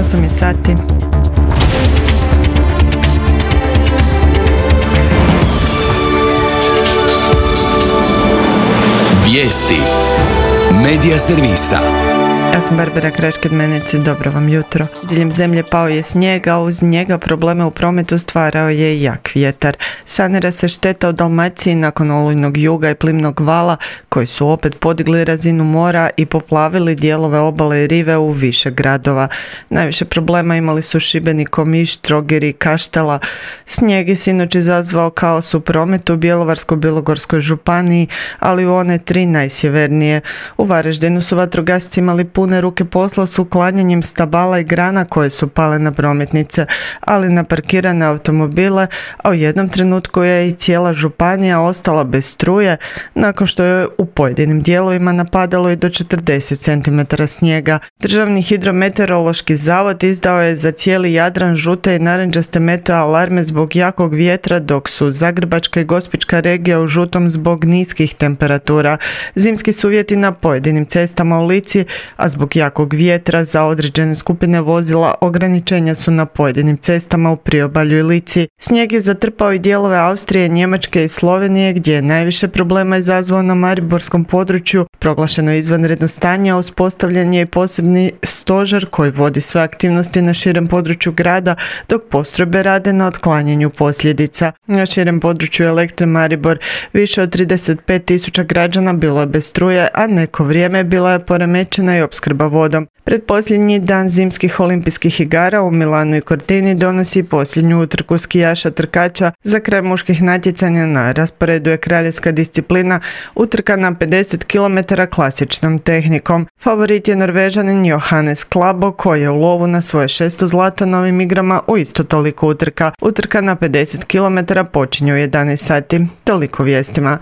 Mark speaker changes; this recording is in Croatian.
Speaker 1: 8 je sati.
Speaker 2: Vijesti Medija servisa.
Speaker 1: Ja sam Barbara Krašked-Meneci, dobro vam jutro. Diljem zemlje pao je snijeg, a uz njega probleme u prometu stvarao je i jak vjetar. Sanira se šteta u Dalmaciji nakon olujnog juga i plimnog vala, koji su opet podigli razinu mora i poplavili dijelove obale i rive u više gradova. Najviše problema imali su Šibenik, Omiš, Trogir i Kaštela. Snijeg je sinoć izazvao kaos u prometu u Bjelovarsko-bilogorskoj županiji, ali u one 3 najsjevernije. U Varaždinu su vatrogasci imali pune ruke posla s uklanjanjem stabala i grana koje su pale na prometnice, ali na parkirane automobile, a u jednom trenutku je i cijela županija ostala bez struje nakon što je u pojedinim dijelovima napadalo i do 40 cm snijega. Državni hidrometeorološki zavod izdao je za cijeli Jadran žute i narančaste meteo alarme zbog jakog vjetra, dok su Zagrebačka i Gospićka regija u žutom zbog niskih temperatura. Zimski su uvjeti na pojedinim cestama u Lici, a zbog jakog vjetra za određene skupine vozila ograničenja su na pojedinim cestama u priobalju i Lici. Snijeg je zatrpao i dijelove Austrije, Njemačke i Slovenije, gdje je najviše problema izazvao na mariborskom području. Proglašeno je izvanredno stanje, a uspostavljen je i posebni stožer koji vodi sve aktivnosti na širem području grada, dok postrojbe rade na otklanjanju posljedica. Na širem području Elektre Maribor više od 35.000 građana bilo je bez struje, a neko vrijeme bila je poremećena i opskrba vodom. Predposljednji dan zimskih olimpijskih igara u Milanu i Cortini donosi posljednju utrku skijaša trkača. Za kraj muških natjecanja na rasporedu je kraljevska disciplina, utrka na 50 km klasičnom tehnikom. Favorit je Norvežanin Johannes Klæbo, koji je u lovu na svoje 6. zlato na ovim igrama u isto toliko utrka. Utrka na 50 km počinje u 11 sati. Toliko vijestima.